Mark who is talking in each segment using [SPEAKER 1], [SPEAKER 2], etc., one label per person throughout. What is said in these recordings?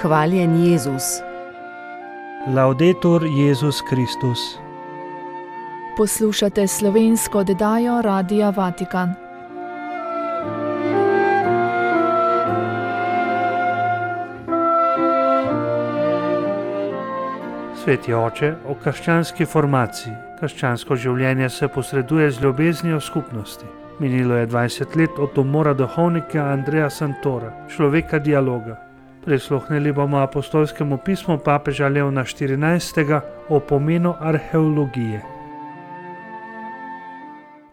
[SPEAKER 1] Hvaljen Jezus.
[SPEAKER 2] Laudetur Jezus Kristus.
[SPEAKER 3] Poslušate slovensko oddajo Radia Vatikan.
[SPEAKER 2] Sveti oče, o krščanski formaciji. Krščansko življenje se posreduje z ljubeznijo skupnosti. Minilo je 20 let od umora duhovnika Andreja Santora, človeka dialoga. Prisluhnili bomo apostolskemu pismu papeža Leona XIV. O pomenu arheologije.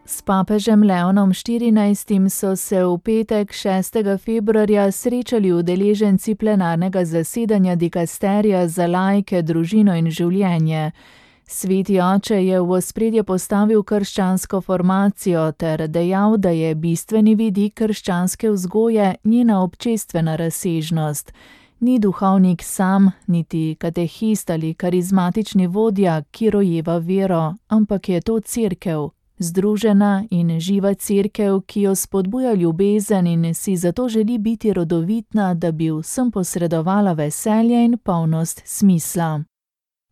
[SPEAKER 3] S papežem Leonom XIV. So se v petek 6. februarja srečali udeleženci plenarnega zasedanja dikasterija za laike, družino in življenje. Sveti oče je v ospredje postavil krščansko formacijo ter dejal, da je bistveni vidik krščanske vzgoje njena občestvena razsežnost. Ni duhovnik sam, niti katehist ali karizmatični vodja, ki rojeva vero, ampak je to cerkev. Združena in živa cerkev, ki jo spodbuja ljubezen in si zato želi biti rodovitna, da bi vsem posredovala veselje in polnost smisla.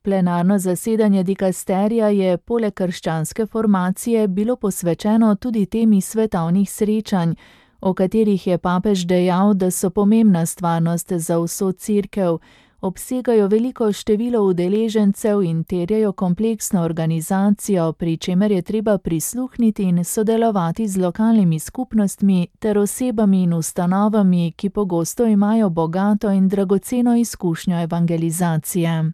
[SPEAKER 3] Plenarno zasedanje dikasterija je poleg krščanske formacije bilo posvečeno tudi temi svetovnih srečanj, o katerih je papež dejal, da so pomembna stvarnost za vso cerkev, obsegajo veliko število udeležencev in terjajo kompleksno organizacijo, pri čemer je treba prisluhniti in sodelovati z lokalnimi skupnostmi ter osebami in ustanovami, ki pogosto imajo bogato in dragoceno izkušnjo evangelizacije.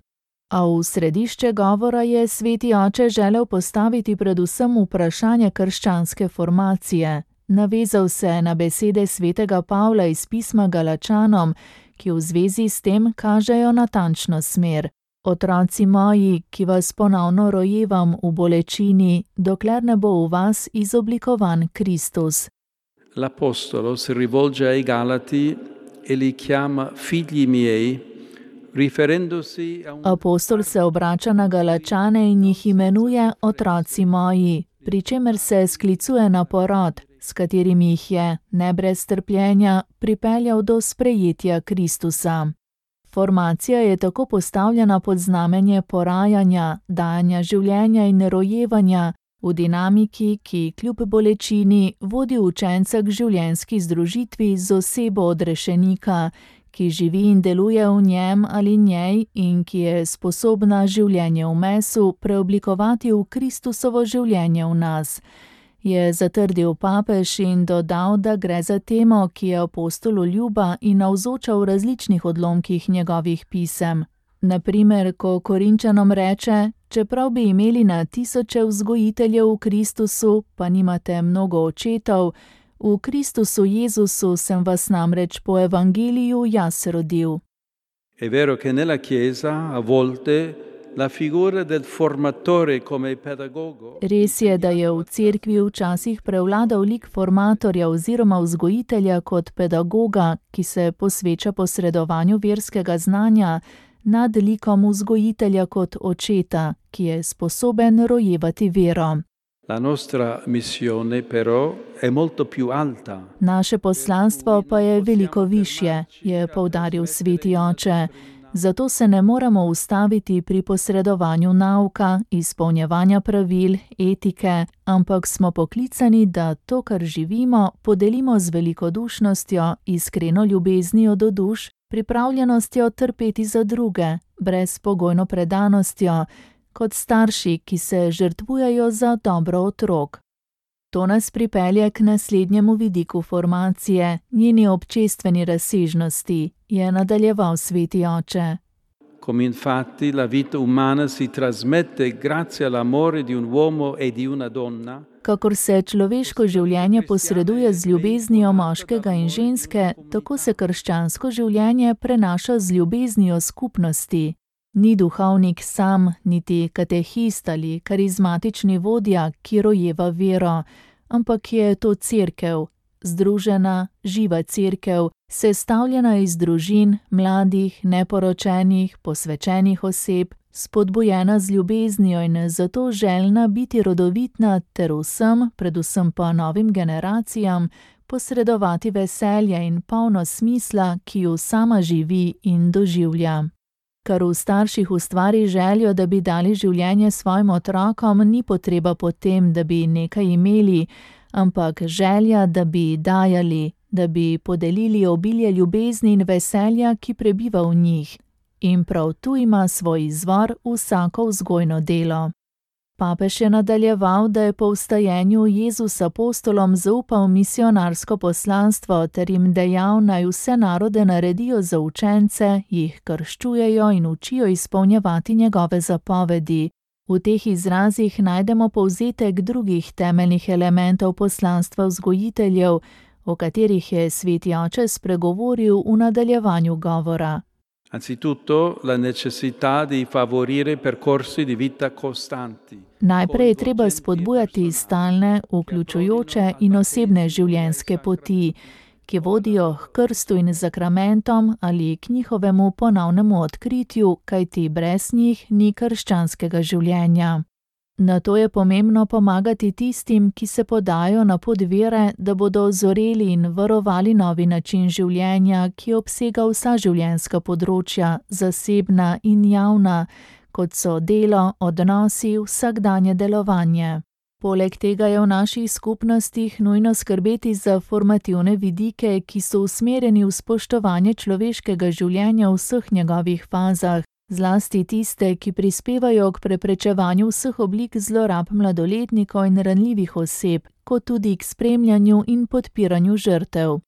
[SPEAKER 3] A v središče govora je sveti oče želel postaviti predvsem vprašanje krščanske formacije. Navezal se na besede svetega Pavla iz pisma Galačanom, ki v zvezi s tem kažejo natančno smer. Otroci moji, ki vas ponovno rojevam v bolečini, dokler ne bo v vas izoblikovan Kristus.
[SPEAKER 4] L'apostolo si rivolge ai Galati e li chiama figli miei, riferendosi a un...
[SPEAKER 3] Apostol se obrača na Galačane in jih imenuje otroci moji, pri čemer se sklicuje na porod, s katerim jih je, ne brez trpljenja, pripeljal do sprejetja Kristusa. Formacija je tako postavljena pod znamenje porajanja, dajanja življenja in rojevanja v dinamiki, ki kljub bolečini vodi učenca k življenjski združitvi z osebo odrešenika, ki živi in deluje v njem ali njej in ki je sposobna življenje v mesu preoblikovati v Kristusovo življenje v nas. Je zatrdil papež in dodal, da gre za temo, ki je apostolu ljuba in navzoča v različnih odlomkih njegovih pisem. Na primer, ko Korinčanom reče, čeprav bi imeli na tisoče vzgojiteljev v Kristusu, pa nimate mnogo očetov, v Kristusu Jezusu sem vas namreč po evangeliju jaz rodil.
[SPEAKER 4] È vero che nella Chiesa a volte la figura del formatore come pedagogo.
[SPEAKER 3] Res je, da je v cerkvi včasih prevladal lik formatorja oziroma vzgojitelja kot pedagoga, ki se posveča posredovanju verskega znanja, nad likom vzgojitelja kot očeta, ki je sposoben rojevati vero.
[SPEAKER 4] La nostra missione però è molto più alta.
[SPEAKER 3] Naše poslanstvo pa je veliko višje, je poudaril sveti oče. Zato se ne moremo ustaviti pri posredovanju nauka, izpolnjevanja pravil, etike, ampak smo poklicani, da to, kar živimo, podelimo z velikodušnostjo, iskreno ljubeznijo do duš, pripravljenostjo trpeti za druge, brezpogojno predanostjo, kot starši, ki se žrtvujejo za dobro otrok. To nas pripelje k naslednjemu vidiku formacije, njeni občestveni razsežnosti, je nadaljeval sveti oče.
[SPEAKER 4] Come infatti la vita umana si trasmette grazie all'amore di un uomo e di una donna.
[SPEAKER 3] Kakor se človeško življenje posreduje z ljubeznijo moškega in ženske, tako se krščansko življenje prenaša z ljubeznijo skupnosti. Ni duhovnik sam, niti katehist ali karizmatični vodja, ki rojeva vero, ampak je to cerkev, združena, živa cerkev, sestavljena iz družin, mladih, neporočenih, posvečenih oseb, spodbujena z ljubeznijo in zato željna biti rodovitna ter vsem, predvsem pa novim generacijam, posredovati veselje in polno smisla, ki ju sama živi in doživlja. Kar v starših ustvari željo, da bi dali življenje svojim otrokom, ni potreba po tem, da bi nekaj imeli, ampak želja, da bi dajali, da bi podelili obilje ljubezni in veselja, ki prebiva v njih. In prav tu ima svoj izvor vsako vzgojno delo. Papež je nadaljeval, da je po vstajenju Jezus apostolom zaupal misionarsko poslanstvo ter jim dejal, naj vse narode naredijo za učence, jih krščujejo in učijo izpolnjevati njegove zapovedi. V teh izrazih najdemo povzetek drugih temeljnih elementov poslanstva vzgojiteljev, o katerih je sveti oče spregovoril v nadaljevanju govora.
[SPEAKER 4] Anzitutto la necessità di favorire percorsi di vita costanti.
[SPEAKER 3] Najprej je treba spodbujati stalne, vključujoče in osebne življenjske poti, ki vodijo k krstu in zakramentom ali k njihovemu ponovnemu odkritju, kajti brez njih ni krščanskega življenja. Nato je pomembno pomagati tistim, ki se podajo na pot vere, da bodo ozoreli in varovali novi način življenja, ki obsega vsa življenjska področja, zasebna in javna, kot so delo, odnosi, vsakdanje delovanje. Poleg tega je v naših skupnostih nujno skrbeti za formativne vidike, ki so usmerjeni v spoštovanje človeškega življenja v vseh njegovih fazah, zlasti tiste, ki prispevajo k preprečevanju vseh oblik zlorab mladoletnikov in ranljivih oseb, kot tudi k spremljanju in podpiranju žrtev.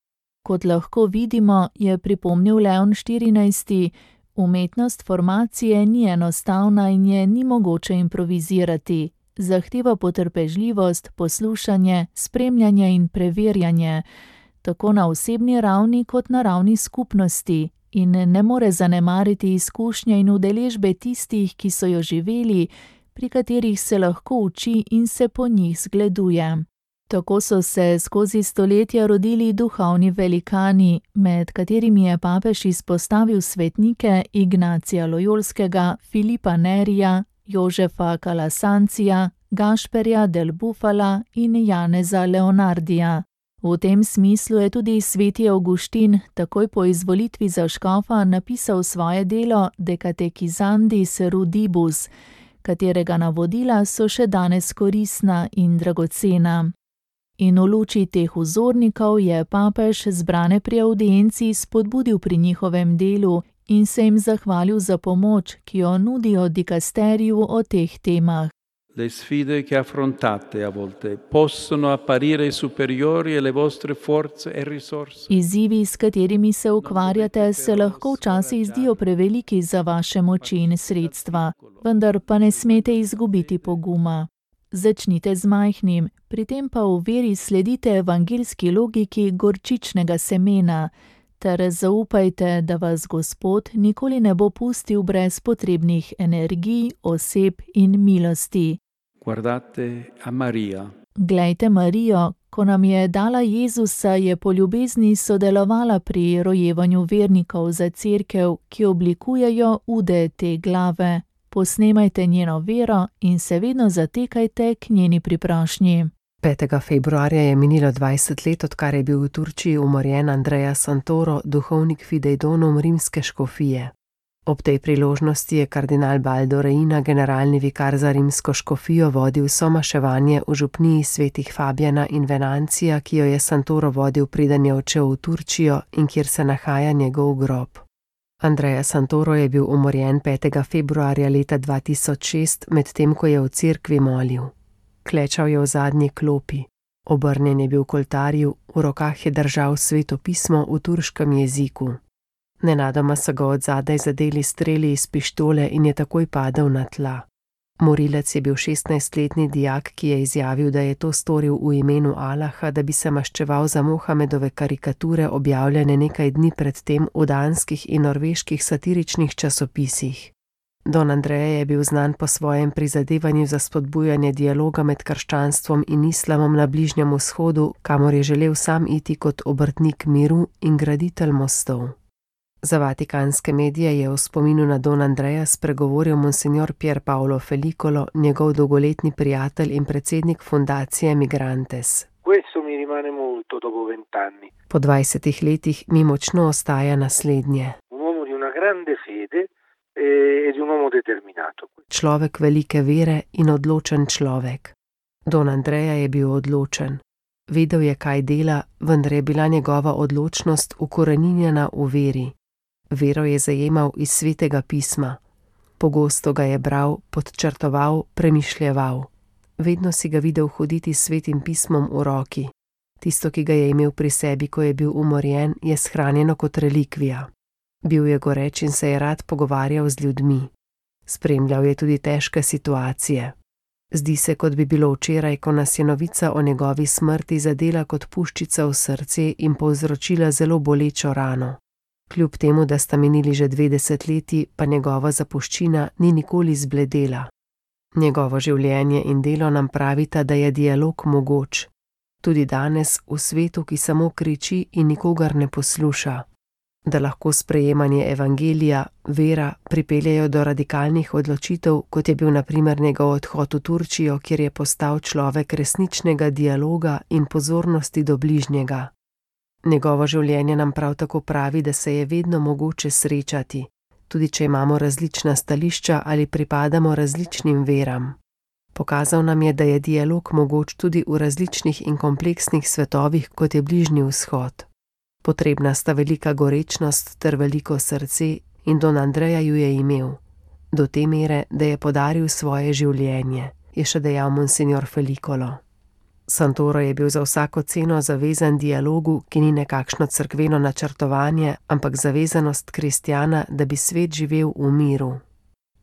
[SPEAKER 3] Kot lahko vidimo, je pripomnil Leon XIV, umetnost formacije ni enostavna in je ni mogoče improvizirati. Zahteva potrpežljivost, poslušanje, spremljanje in preverjanje, tako na osebni ravni kot na ravni skupnosti, in ne more zanemariti izkušnje in udeležbe tistih, ki so jo živeli, pri katerih se lahko uči in se po njih zgleduje. Tako so se skozi stoletja rodili duhovni velikani, med katerimi je papež izpostavil svetnike Ignacija Lojolskega, Filipa Nerija, Jožefa Calasanzija, Gašperja del Bufala in Janeza Leonardija. V tem smislu je tudi sveti Avguštin takoj po izvolitvi za škofa napisal svoje delo De Catechizandis Rudibus, katerega navodila so še danes koristna in dragocena. In v luči teh vzornikov je papež zbrane pri audienci spodbudil pri njihovem delu in se jim zahvalil za pomoč, ki jo nudijo dikasteriju o teh temah.
[SPEAKER 4] Le sfide che affrontate a volte possono apparire superiori alle vostre forze e risorse.
[SPEAKER 3] Izzivi, s katerimi se ukvarjate, se lahko včasih zdijo preveliki za vaše moči in sredstva, vendar pa ne smete izgubiti poguma. Začnite z majhnim, pri tem pa v veri sledite evangeljski logiki gorčičnega semena, ter zaupajte, da vas Gospod nikoli ne bo pustil brez potrebnih energij, oseb in milosti.
[SPEAKER 4] Guardate a Maria.
[SPEAKER 3] Glejte Marijo, ko nam je dala Jezusa, je po ljubezni sodelovala pri rojevanju vernikov za cerkev, ki oblikujejo ude te glave. Posnemajte njeno vero in se vedno zatekajte k njeni priprošnji.
[SPEAKER 1] 5. februarja je minilo 20 let, odkar je bil v Turčiji umorjen Andrea Santoro, duhovnik Fidei Donum rimske škofije. Ob tej priložnosti je kardinal Baldo Reina, generalni vikar za rimsko škofijo, vodil somaševanje v župniji svetih Fabijana in Venancija, ki jo je Santoro vodil, preden je odšel v Turčijo in kjer se nahaja njegov grob. Andrea Santoro je bil umorjen 5. februarja leta 2006, medtem ko je v cerkvi molil. Klečal je v zadnji klopi, obrnjen je bil k oltarju, v rokah je držal sveto pismo v turškem jeziku. Nenadoma so ga od zadaj zadeli streli iz pištole in je takoj padel na tla. Morilec je bil 16-letni dijak, ki je izjavil, da je to storil v imenu Allaha, da bi se maščeval za Mohamedove karikature, objavljene nekaj dni predtem v danskih in norveških satiričnih časopisih. Don Andrea je bil znan po svojem prizadevanju za spodbujanje dialoga med krščanstvom in islamom na Bližnjem vzhodu, kamor je želel sam iti kot obrtnik miru in graditelj mostov. Za vatikanske medije je v spominu na Don Andreja spregovoril monsignor Pier Paolo Felicolo, njegov dolgoletni prijatelj in predsednik fundacije Migrantes.
[SPEAKER 5] Questo mi rimane molto dopo 20 anni.
[SPEAKER 1] Po 20 letih mi močno ostaja naslednje.
[SPEAKER 5] Un uomo di una grande fede e di un uomo determinato.
[SPEAKER 1] Človek velike vere in odločen človek. Don Andreja je bil odločen. Vedel je, kaj dela, vendar je bila njegova odločnost ukoreninjena v veri. Vero je zajemal iz Svetega pisma. Pogosto ga je bral, podčrtoval, premišljeval. Vedno si ga videl hoditi s Svetim pismom v roki. Tisto, ki ga je imel pri sebi, ko je bil umorjen, je shranjeno kot relikvija. Bil je goreč in se je rad pogovarjal z ljudmi. Spremljal je tudi težke situacije. Zdi se, kot bi bilo včeraj, ko nas je novica o njegovi smrti zadela kot puščica v srce in povzročila zelo bolečo rano. Kljub temu, da sta minili že 2 desetletji, pa njegova zapuščina ni nikoli zbledela. Njegovo življenje in delo nam pravita, da je dialog mogoč. Tudi danes, v svetu, ki samo kriči in nikogar ne posluša. Da lahko sprejemanje evangelija, vera, pripeljejo do radikalnih odločitev, kot je bil na primer njegov odhod v Turčijo, kjer je postal človek resničnega dialoga in pozornosti do bližnjega. Njegovo življenje nam prav tako pravi, da se je vedno mogoče srečati, tudi če imamo različna stališča ali pripadamo različnim veram. Pokazal nam je, da je dialog mogoč tudi v različnih in kompleksnih svetovih, kot je Bližnji vzhod. Potrebna sta velika gorečnost ter veliko srce in Don Andreja ju je imel. Do te mere, da je podaril svoje življenje, je še dejal monsignor Felicolo. Santoro je bil za vsako ceno zavezan dialogu, ki ni nekakšno cerkveno načrtovanje, ampak zavezanost kristjana, da bi svet živel v miru.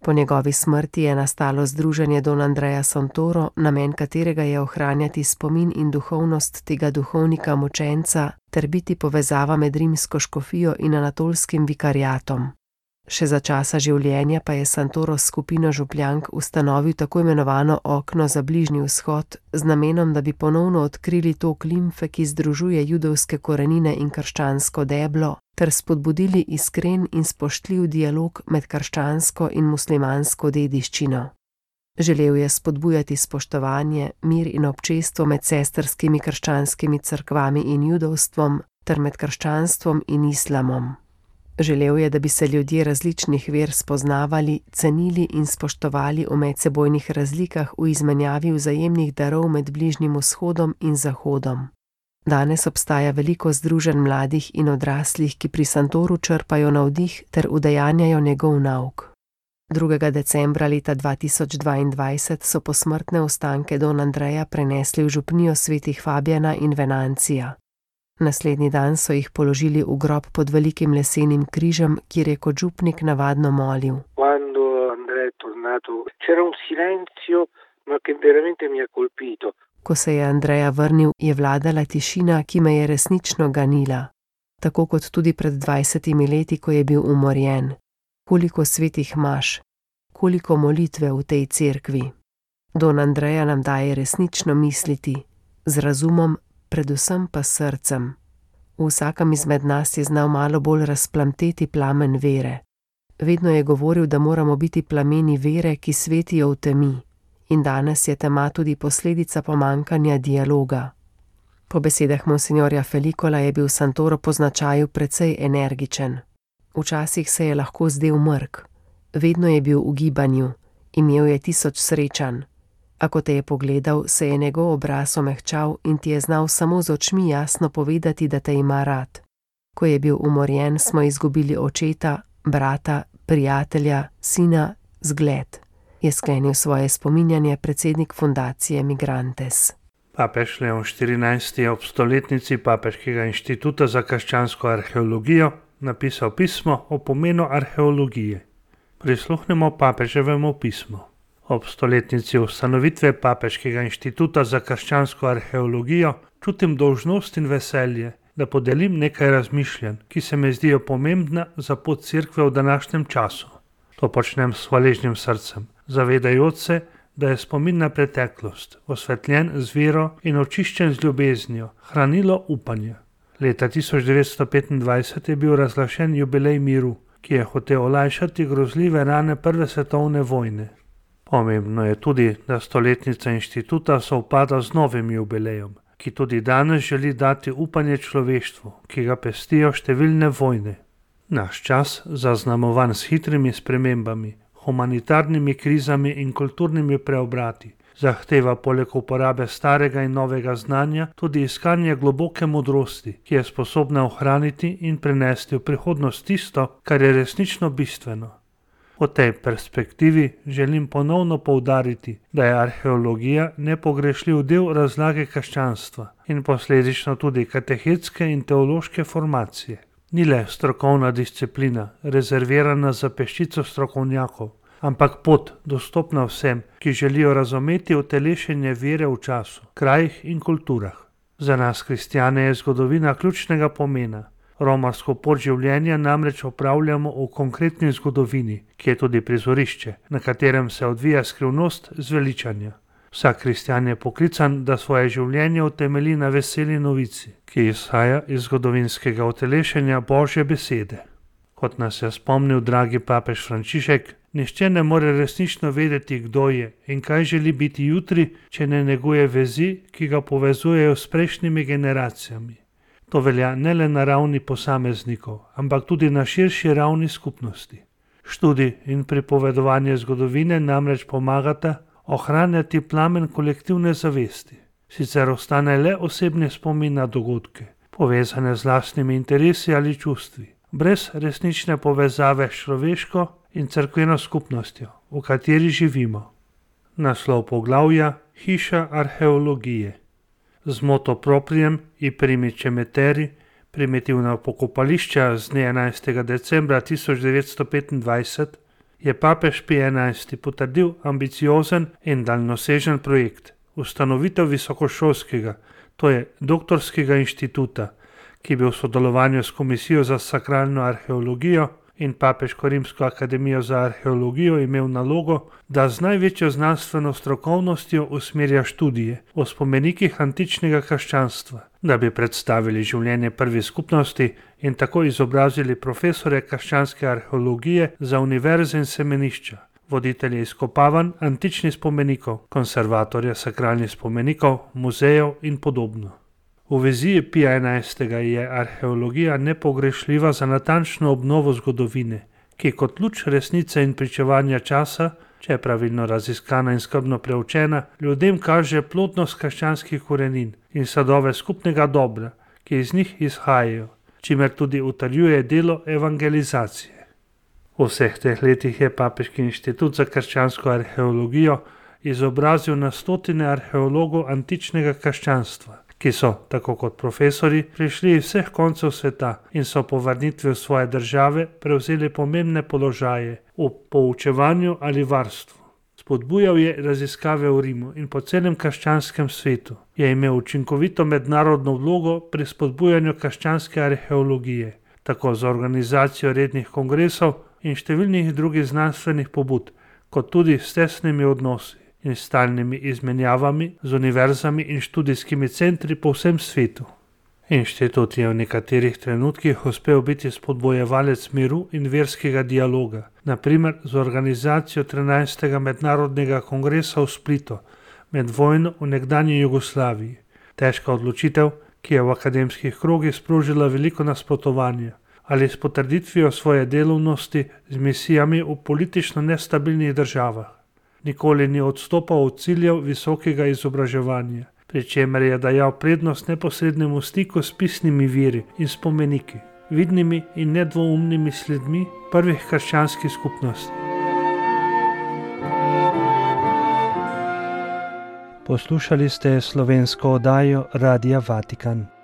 [SPEAKER 1] Po njegovi smrti je nastalo združenje Don Andreja Santoro, namen katerega je ohranjati spomin in duhovnost tega duhovnika mučenca ter biti povezava med rimsko škofijo in anatolskim vikariatom. Še za časa življenja pa je Santoro s skupino župljank ustanovil tako imenovano okno za Bližnji vzhod z namenom, da bi ponovno odkrili tok limfe, ki združuje judovske korenine in krščansko deblo, ter spodbudili iskren in spoštljiv dialog med krščansko in muslimansko dediščino. Želel je spodbujati spoštovanje, mir in občestvo med sestrskimi krščanskimi cerkvami in judovstvom ter med krščanstvom in islamom. Želel je, da bi se ljudje različnih ver spoznavali, cenili in spoštovali v medsebojnih razlikah v izmenjavi vzajemnih darov med Bližnjim vzhodom in zahodom. Danes obstaja veliko združenj mladih in odraslih, ki pri Santoru črpajo navdih ter udejanjajo njegov nauk. 2. decembra leta 2022 so posmrtne ostanke Don Andreja prenesli v župnijo svetih Fabijana in Venancija. Naslednji dan so jih položili v grob pod velikim lesenim križem, kjer je kot župnik navadno molil.
[SPEAKER 5] Quando Andrea è tornato c'era un silenzio, ma che veramente mi ha colpito.
[SPEAKER 1] Ko se je Andreja vrnil, je vladala tišina, ki me je resnično ganila. Tako kot tudi pred 20 leti, ko je bil umorjen. Koliko svetih maš, koliko molitve v tej cerkvi. Don Andreja nam daje resnično misliti, z razumom, predvsem pa srcem. V vsakem izmed nas je znal malo bolj razplamteti plamen vere. Vedno je govoril, da moramo biti plameni vere, ki svetijo v temi. In danes je tema tudi posledica pomankanja dialoga. Po besedah monsignorja Felicola je bil Santoro po značaju precej energičen. Včasih se je lahko zdel mrk. Vedno je bil v gibanju, imel je 1000 srečanj. A ko te je pogledal, se je njegov obraz omehčal in ti je znal samo z očmi jasno povedati, da te ima rad. Ko je bil umorjen, smo izgubili očeta, brata, prijatelja, sina, zgled, je sklenil svoje spominjanje predsednik fundacije Migrantes.
[SPEAKER 2] Papež Leon XIV je ob stoletnici Papeškega inštituta za krščansko arheologijo napisal pismo o pomenu arheologije. Prisluhnemo papeževemu pismu. Ob stoletnici ustanovitve Papeškega inštituta za krščansko arheologijo čutim dolžnost in veselje, da podelim nekaj razmišljanj, ki se mi zdijo pomembna za pot cerkve v današnjem času. To počnem s hvaležnim srcem, zavedajoč se, da je spomin na preteklost, osvetljen z vero in očiščen z ljubeznijo, hranilo upanje. Leta 1925 je bil razglašen jubilej miru, ki je hotel olajšati grozljive rane Prve svetovne vojne. Pomembno je tudi, da stoletnica inštituta sovpada z novim jubilejem, ki tudi danes želi dati upanje človeštvu, ki ga pestijo številne vojne. Naš čas, zaznamovan s hitrimi spremembami, humanitarnimi krizami in kulturnimi preobrati, zahteva poleg uporabe starega in novega znanja tudi iskanje globoke modrosti, ki je sposobna ohraniti in prenesti v prihodnost tisto, kar je resnično bistveno. V tej perspektivi želim ponovno poudariti, da je arheologija nepogrešljiv del razlage krščanstva in posledično tudi katehetske in teološke formacije. Ni le strokovna disciplina, rezervirana za peščico strokovnjakov, ampak pot dostopna vsem, ki želijo razumeti utelešenje vere v času, krajih in kulturah. Za nas kristjane je zgodovina ključnega pomena. Romarsko pot življenja namreč opravljamo v konkretni zgodovini, ki je tudi prizorišče, na katerem se odvija skrivnost zveličanja. Vsak kristjan je poklican, da svoje življenje utemelji na veseli novici, ki izhaja iz zgodovinskega utelešenja Božje besede. Kot nas je spomnil dragi papež Frančišek, nihče ne more resnično vedeti, kdo je in kaj želi biti jutri, če ne neguje vezi, ki ga povezujejo s prejšnjimi generacijami. To velja ne le na ravni posameznikov, ampak tudi na širši ravni skupnosti. Študij in pripovedovanje zgodovine namreč pomagata ohranjati plamen kolektivne zavesti. Sicer ostane le osebni spomin na dogodke, povezane z lastnimi interesi ali čustvi, brez resnične povezave s človeško in cerkveno skupnostjo, v kateri živimo. Naslov poglavja: Hiša arheologije. Z moto proprijem i primiče meteri, primitivna pokopališča z dne 11. decembra 1925, je papež Pij XI potrdil ambiciozen in daljnosežen projekt, ustanovitev visokošolskega, to je doktorskega inštituta, ki bi v sodelovanju s Komisijo za sakralno arheologijo in Papeško rimsko akademijo za arheologijo imel nalogo, da z največjo znanstveno strokovnostjo usmerja študije o spomenikih antičnega krščanstva, da bi predstavili življenje prve skupnosti in tako izobrazili profesore krščanske arheologije za univerze in semenišča, voditelje izkopavanj antičnih spomenikov, konservatorje sakralnih spomenikov, muzejev in podobno. V viziji Pija XI. Je arheologija nepogrešljiva za natančno obnovo zgodovine, ki kot luč resnice in pričevanja časa, če je pravilno raziskana in skrbno preučena, ljudem kaže plodnost krščanskih korenin in sadove skupnega dobra, ki iz njih izhajajo, čimer tudi utrjuje delo evangelizacije. V vseh teh letih je Papeški inštitut za krščansko arheologijo izobrazil na stotine arheologov antičnega krščanstva, ki so, tako kot profesori, prišli iz vseh koncev sveta in so po vrnitvi v svoje države prevzeli pomembne položaje v poučevanju ali varstvu. Spodbujal je raziskave v Rimu in po celem krščanskem svetu, je imel učinkovito mednarodno vlogo pri spodbujanju krščanske arheologije, tako za organizacijo rednih kongresov in številnih drugih znanstvenih pobud, kot tudi s tesnimi odnosi in stalnimi izmenjavami z univerzami in študijskimi centri po vsem svetu. Inštitut je v nekaterih trenutkih uspel biti spodbojevalec miru in verskega dialoga, na primer z organizacijo 13. mednarodnega kongresa v Splitu med vojno v nekdanji Jugoslaviji. Težka odločitev, ki je v akademskih krogih sprožila veliko nasprotovanja, ali s potrditvijo svoje delovnosti z misijami v politično nestabilnih državah. Nikoli ni odstopal od ciljev visokega izobraževanja, pri čemer je dajal prednost neposrednemu stiku s pisnimi viri in spomeniki, vidnimi in nedvoumnimi sledmi prvih krščanskih skupnosti. Poslušali ste slovensko oddajo Radia Vatikan.